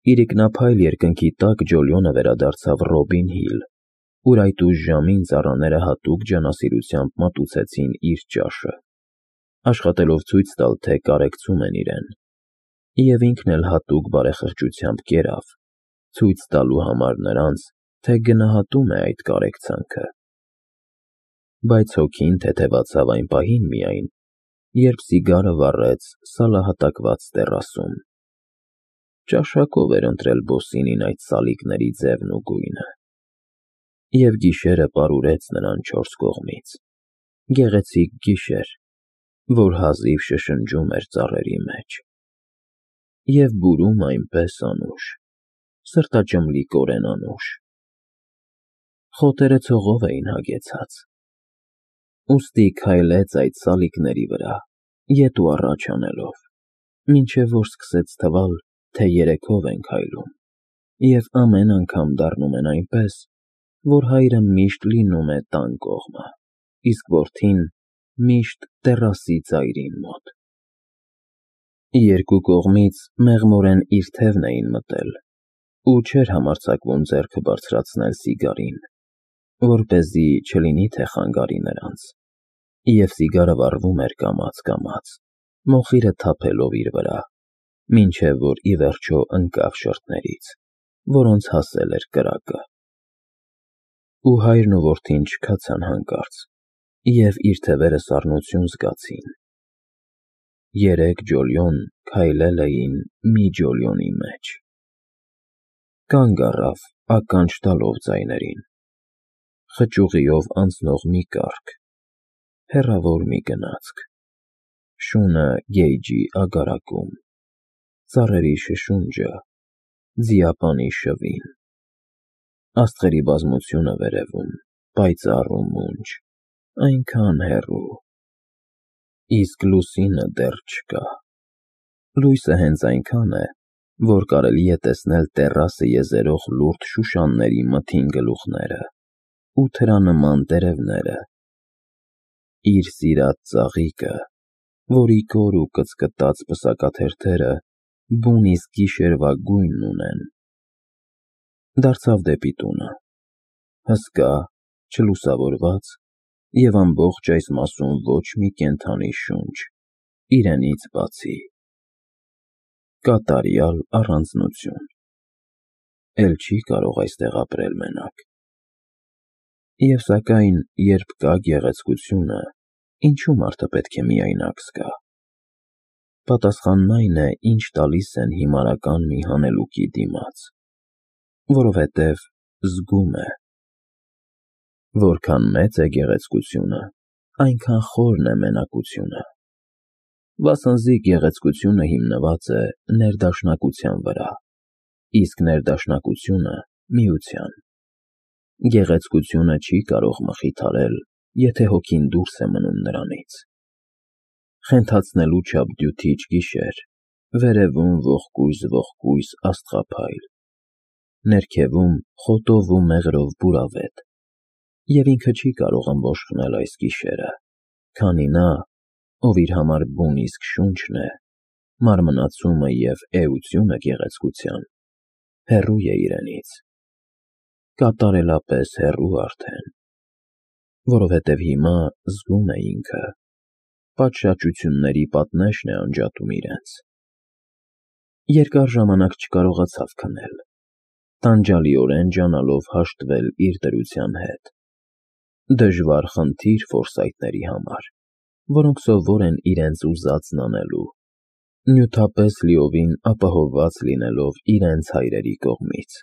Իրիկնափայլ երկնքի տակ Ջոլիոնը վերադարձավ Ռոբին Հիլ, ուր այդ ուշ ժամին ծառաները հատուկ ջանասիրությամբ մատուցեցին իր ճաշը, աշխատելով ցույց տալ, թե կարեկցում են իրեն, և ինքն էլ հատուկ բարեխղճությամբ կերավ, ցույց տալու համար նրանց, թե գնահատում է այդ կարեկցանքը։ Բայց հոգին թեթևացավ այն պահին միայն, երբ սիգարը վառեց սալահատակված տեռասում։ Ճաշակով էր ընտրել Բոսինին այդ սալիկների ձևն ու գույնը, և գիշերը պարուրեց նրան չորս կողմից, գեղեցիկ գիշեր, որ հազիվ շշնջում էր ծառերի մեջ, և բուրում այնպես անուշ, սրտաճմլիկորեն անուշ։ Խոտերը ցողով էին հագեցած, ուստի քայլեց այդ սալիկների վրա, ետ ու առաջ անելով, մինչև որ սկսեց թվալ, թե երեքով են քայլում, և ամեն անգամ դառնում են այնպես, որ հայրը միշտ լինում է տան կողմը, իսկ որդին միշտ տեռասի ծայրին մոտ։ Երկու կողմից մեղմորեն իր թևն էին մտել, ու չէր համարձակվում ձեռքը բարձրացնել սիգարին, որպեսզի չլինի թե խանգարի նրանց, և սիգարը վառվում էր կամաց, մոխիրը թափելով իր վրա, մինչև որ ի վերջո ընկավ շրթներից, որոնց հասել էր կրակը։ Ու հայրն ու որդին չքացան հանկարծ, և իր թևերը սառնություն զգացին։ Երեք Ջոլիոն քայլել էին մի Ջոլիոնի մեջ։ Կանգ առավ, ականջ տալով ձայներին, խճուղիով անցնող մի կառք, հեռավոր մի գնացք, շունը գեյջի ագարակում, ծառերի շշունջը, ձիապանի շվին, աստղերի բազմությունը վերևում, պայծառ ու մունջ, այնքան հեռու, իսկ լուսինը դեռ չկա։ Լույսը հենց այնքան է, որ կարելի է տեսնել տեռասը եզերող լուրջ շուշանների մթին գլուխները ու թրանման տերևները, իր սիրած ծաղիկը, որի կոր ու կծկտած պսակաթերթերը բուն իսկ գիշերվա գույնն ունեն։ Դարձավ դեպի տունը, հսկա, չլուսավորված, և ամբողջ այս մասում ոչ մի կենդանի շունչ, իրենից բացի։ Կատարյալ առանձնություն։ Էլ չի կարող այստեղ ապրել մենակ։ Եվ սակայն, երբ կա գեղեցկությունը, ինչու մարդը պետք է միայնակ զգա։ Պատասխանն այն է, ինչ տալիս են հիմարական մի հանելուկի դիմաց, որովհետև զգում է։ Որքան մեծ է գեղեցկությունը, այնքան խորն է մենակությունը, վասնզի գեղեցկությունը հիմնված է ներդաշնակության վրա, իսկ ներդաշնակությունը՝ միության։ Գեղեցկությունը չի կարող մխիթարել, եթե հոգին դուրս է մնում նրանից։ Խենթացնելու չափ դյութիչ գիշեր, վերևում ողկույզ աստղափայլ, ներքևում խոտով ու մեղրով բուրավետ, և ինքը չի կարող ըմբոշխնել այս գիշերը, քանի նա, ով իր համար բուն իսկ շունչն է, մարմնացումը և էությունը գեղեցկության, հեռու է իրենից, կատարելապես հեռու արդեն, որովհետև հիմա զգում է ինքը, պատշաճությունների պատնեշն է անջատում իրենց։ Երկար ժամանակ չկարողացավ քնել, տանջալիորեն ջանալով հաշտվել իր դրության հետ։ Դժվար խնդիր ֆորսայթների համար, որոնք սովոր են իրենց ուզածն անելու, նյութապես լիովին ապահովված լինելով իրենց հայրերի կողմից։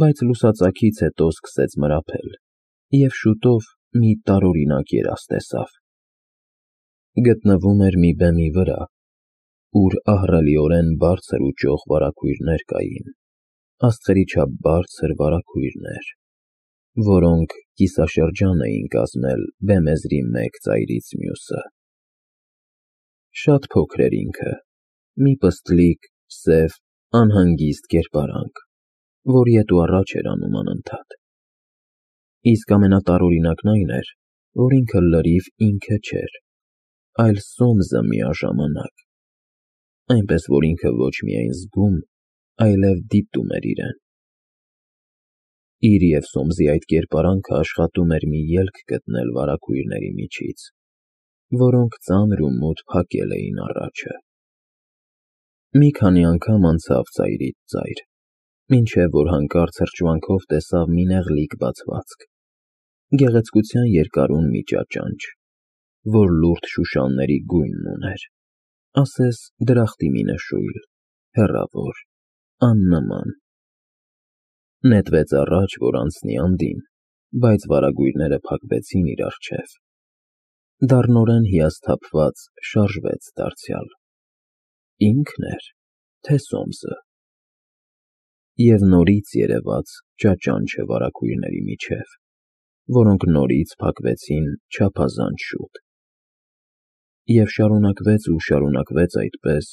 Բայց լուսածագից հետո սկսեց մրափել, և շուտով մի տարօրինակ երազ տեսավ։ Գտնվում էր մի բեմի վրա, ուր ահռելիորեն բարձր ու ճոխ վարագույրներ կային, աստղերի չափ բարձր վարագույրներ, որոնք կիսաշրջան էին կազմել բեմեզրի մեկ ծայրից մյուսը։ Շատ փոքր էր ինքը, մի պստլիկ, սև, անհանգիստ կերպարանք, որ ետ ու առաջ էր անում անընդհատ։ Իսկ ամենատարօրինակն այն էր, որ ինքը լրիվ ինքը չէր, այլ Սոմզը միաժամանակ, այնպես որ ինքը ոչ միայն զգում, այլև դիտում էր իրեն։ Իր և Սոմսի այդ կերպարանքը աշխատում էր մի ելք գտնել վարագույրների միջից, որոնք ծանր ու մութ փակել էին առաջը։ Մի քանի անգամ անցավ ծայրից ծայր, մինչև որ հանկարծ հրճվանքով տեսավ մի նեղլիկ բացվածք, գեղեցկության երկարուն մի ճաճանճ, որ լուրջ շուշանների գույնն ուներ, ասես դրախտի մի նշույլ, հեռավոր, աննման։ Նետվեց առաջ, որ անցնի անդին, բայց վարագույրները փակվեցին իր առջև։ Դառնորեն հիասթափված շարժվեց դարձյալ։ Ինքն էր, թե Սոմսը։ Եվ նորից երևաց ճաճանճը վարագույրների միջև, որոնք նորից փակվեցին չափազանց շուտ։ Եվ շարունակվեց այդպես,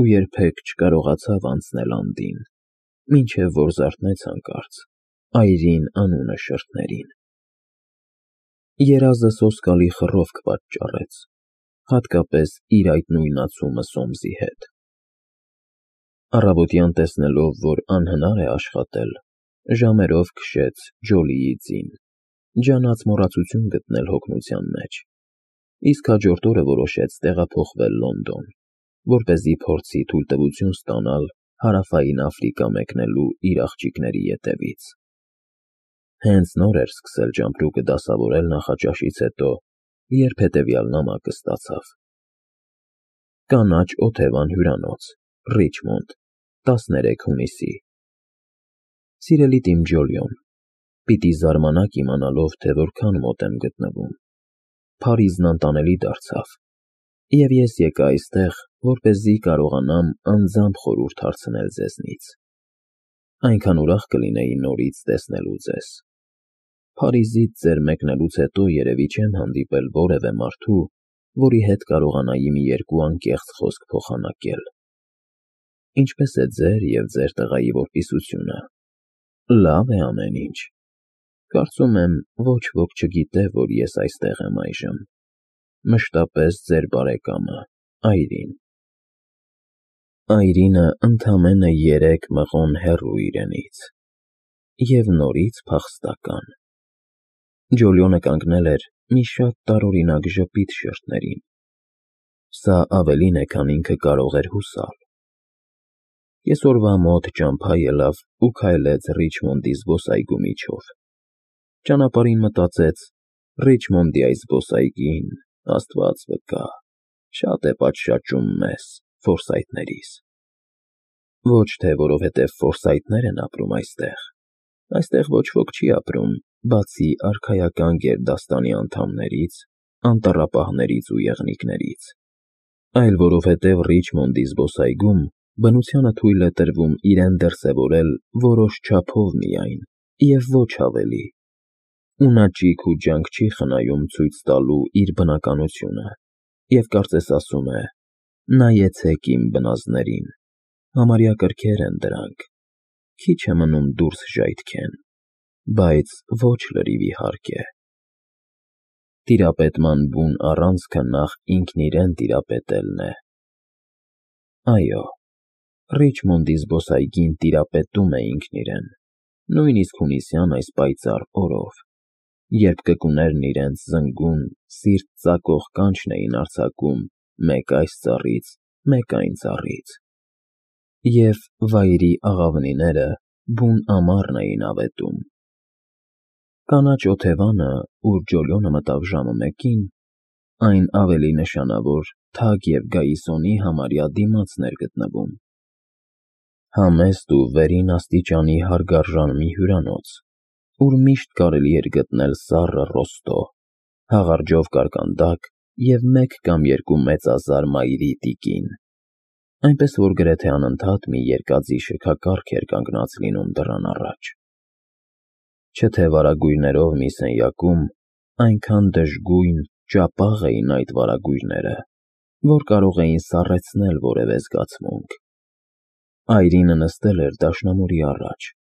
ու երբեք չկարողացավ անցնել անդին, մինչև որ զարթնեց հանկարծ այրին անունը շրթներին։ Երազը սոսկալի խռովք պատճառեց, հատկապես իր այդ նույնացումը Սոմսի հետ։ Առավոտյան տեսնելով, որ անհնար է աշխատել, ժամերով քշեց Ջոլիի ձին, ջանած մոռացություն գտնել հոգնության մեջ, իսկ հաջորդ օրը որոշեց տեղափոխվել Լոնդոն, որպեսզի փորձի թույլտվություն ստանալ Հարավային Աֆրիկա մեկնելու իր աղջիկների ետևից։ Հենց նոր էր սկսել ճամպրուկը դասավորել նախաճաշից հետո, երբ հետևյալ նամակը ստացավ. Կանաչ օթևան հյուրանոց, Ռիչմոնդ, 13 հունիսի։ Սիրելի Տիմ Ջոլիոն, պիտի զարմանաք իմանալով, թե որքան մոտ եմ գտնվում։ Փարիզն անտանելի դարձավ, և ես եկա այստեղ, որպեսզի կարողանամ անձամբ խորհուրդ հարցնել ձեզնից։ Այնքան ուրախ կլինեի նորից տեսնելու ձեզ։ Փարիզից ձեր մեկնելուց հետո երևի չեմ հանդիպել որևէ մարդու, որի հետ կարողանայի մի երկու անկեղծ խոսք փոխանակել։ Ինչպե՞ս է ձեր և ձեր տղայի որպիսությունը։ Լավ է ամեն ինչ։ Կարծում եմ, ոչ ոք չգիտե, որ ես այստեղ եմ այժմ։ Մշտապես ձեր բարեկամը, Այրին։ Այրինը ընդամենը 3 մղոն հեռու իրենից։ Եվ նորից փախստական։ Ջոլիոնը կանգնել էր մի շատ տարօրինակ ժպիտ շրթներին։ Սա ավելին է, քան ինքը կարող էր հուսալ։ Կեսօրվա մոտ ճամփա ելավ ու քայլեց Ռիչմոնդի զբոսայգու միջով։ Ճանապարհին մտածեց. Ռիչմոնդի այս զբոսայգին, Աստված վկա, շատ է պատշաճում մեզ, Ֆորսայթներիս։ Ոչ թե որովհետև Ֆորսայթներ են ապրում այստեղ։ Այստեղ ոչ ոք չի ապրում, բացի արքայական գերդաստանի անդամներից, անտառապահներից ու եղնիկներից, այլ որովհետև Ռիչմոնդի զբոսայգում բնությանը թույլ է տրվում իրեն դրսևորել որոշ չափով միայն, և ոչ ավելի, ու նա ճիգ ու ջանք չի խնայում ցույց տալու իր բնականությունը, և կարծես ասում է. նայեցեք իմ բնազդներին, համարյա կրքեր են դրանք, քիչ է մնում դուրս ժայթքեն, բայց ոչ լրիվ իհարկե։ Տիրապետման բուն առանցքը նախ ինքն իրեն տիրապետելն է։ Այո, Ռիչմոնդի զբոսայգին տիրապետում է ինքն իրեն, նույնիսկ հունիսյան այս պայծառ օրով, երբ կկուներն իրենց զնգուն, սիրտ ծակող կանչն էին արձակում մեկ այս ծառից, մեկ այն ծառից, և վայրի աղավնիները բուն ամառն էին ավետում։ Կանաչ օթևանը, ուր Ջոլիոնը մտավ ժամը 1-ին, այն ավելի նշանավոր թագ և Գայիսոնի համարյա դիմացն էր գտնվում։ Համեստ ու վերին աստիճանի հարգարժան մի հյուրանոց, ուր միշտ կարելի էր գտնել սառը ռոստո, հաղարջով կարկանդակ և 1 կամ 2 մեծազար մայրի տիկին, այնպես որ գրեթե անընդհատ մի երկաթի շքակառք էր կանգնած լինում դռան առաջ։ Չէ թե վարագույրներով մի սենյակում այնքան դժգույն, ճապաղ էին այդ վարագույրները, որ կարող էին սառեցնել որևէ զգացմունք։ Այրինը նստել էր դաշնամուրի առաջ,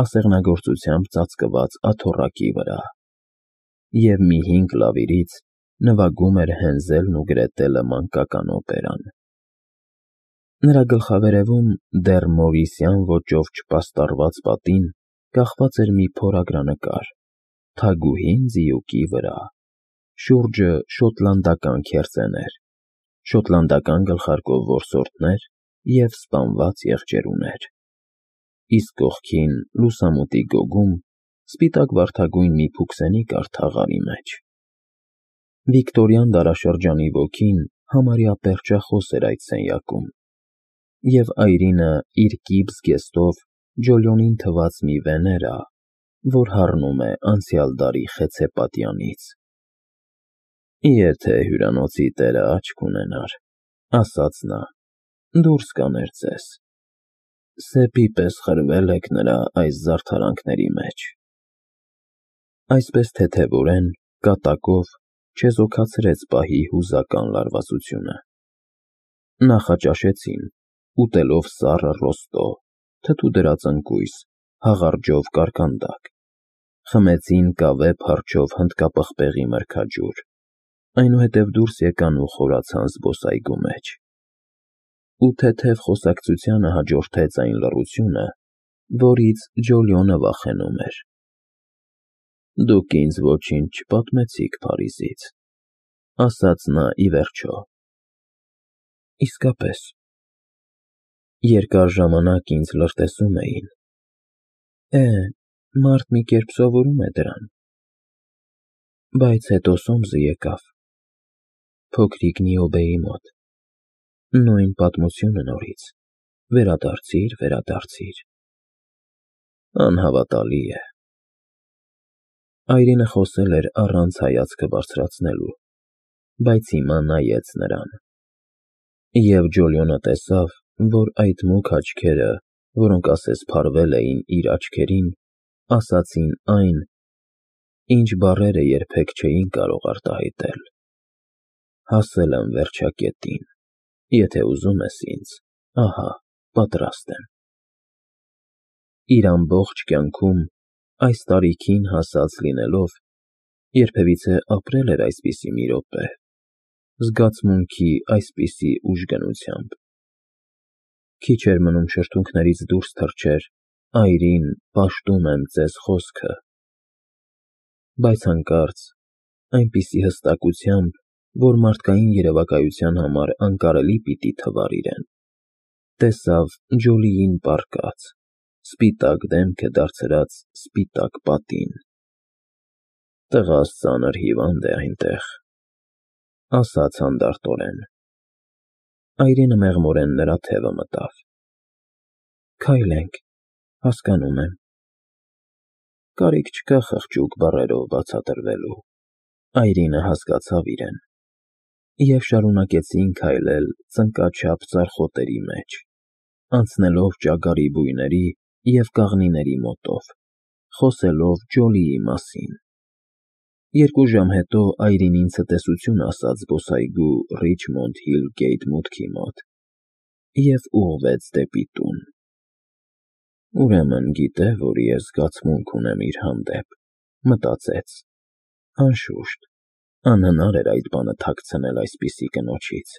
ասեղնագործությամբ ծածկված աթոռակի վրա, և մի 5 լավիրից նվագում էր Հենզելն ու Գրետելը մանկական օպերան։ Նրա գլխավերևում դեռ մորիսյան ոճով չպաստառված պատին կախված էր մի փորագրանկար, թագուհին ձիուկի վրա, շուրջը շոտլանդական քերծեներ, շոտլանդական գլխարկով որսորդներ և սպանված եղջերուներ, իսկ կողքին լուսամուտի գոգում սպիտակ վարդագույն մի փուքսենի կար թաղարի մեջ։ Վիկտորյան դարաշրջանի ոգին համարյա պերճախոս էր այդ սենյակում, և այրինը իր կիպ զգեստով Ջոլիոնին թվաց մի Վեներա, որ հառնում է անցյալ դարի խեցեպատյանից։ «Եթե հյուրանոցի տերը աչք ունենար,֊ ասաց նա,֊ դուրս կաներ ձեզ. սեպի պես խրվել եք նրա այս զարդարանքների մեջ»։ Այսպես թեթևորեն, կատակով չեզոքացրեց պահի հուզական լարվածությունը։ Նախաճաշեցին, ուտելով սառը ռոստո, թթու դրած ընկույզ, հաղարջով կարկանդակ, խմեցին կավե փարչով հնդկապղպեղի մրգաջուր, այնուհետև դուրս եկան ու խորացան զբոսայգու մեջ։ Ու թեթև խոսակցությանը հաջորդեց այն լռությունը, որից Ջոլիոնը վախենում էր։ «Դուք ինձ ոչինչ չպատմեցիք Փարիզից,֊ ասաց նա ի վերջո։ Իսկապես, երկար ժամանակ ինձ լրտեսում էին։ Մարդ մի կերպ սովորում է դրան։ Բայց հետո Սոմսը եկավ, փոքրիկ Նիոբեի մոտ, նույն պատմությունը նորից, վերադարձիր։ Անհավատալի է»։ Այրինը խոսել էր առանց հայացքը բարձրացնելու, բայց հիմա նայեց նրան։ Եվ Ջոլիոնը տեսավ, որ այդ մուգ աչքերը, որոնք ասես փարվել էին իր աչքերին, ասացին այն, ինչ բառերը երբեք չէին կարող արտահայտել. «Հասել եմ վերջակետին, եթե ուզում ես ինձ, ահա, պատրաստ եմ»։ Իր ամբողջ կյանքում, այս տարիքին հասած լինելով, երբևիցե ապրել էր այսպիսի մի րոպե, զգացմունքի այսպիսի ուժգնությամբ։ Քիչ էր մնում շրթունքներից դուրս թռչեր «Այրին, պաշտում եմ ձեզ» խոսքը, բայց հանկարծ, այնպիսի հստակությամբ, որ մարդկային երևակայության համար անկարելի պիտի թվար իրեն, տեսավ Ջոլիին պառկած, սպիտակ դեմքը դարձրած սպիտակ պատին։ «Տղաս ծանր հիվանդ է այնտեղ,֊ ասաց հանդարտորեն։ Այրինը մեղմորեն նրա թևը մտավ։ «Քայլենք, հասկանում եմ»։ Կարիք չկա խղճուկ բառերով բացատրվելու։ Այրինը հասկացավ իրեն։ Եվ շարունակեցին քայլել ծնկաչափ ձարխոտերի մեջ, անցնելով ճագարի բույների և կաղնիների մոտով, խոսելով Ջոլիի մասին։ 2 ժամ հետո Այրինին ցտեսություն ասաց զբոսայգու Ռիչմոնդ Հիլ Գեյթ մուտքի մոտ և ուղղվեց դեպի տուն։ «Ուրեմն գիտե, որ ես զգացմունք ունեմ իր հանդեպ,֊ մտածեց։ Անշուշտ, անհնար էր այդ բանը թաքցնել այսպիսի կնոջից»։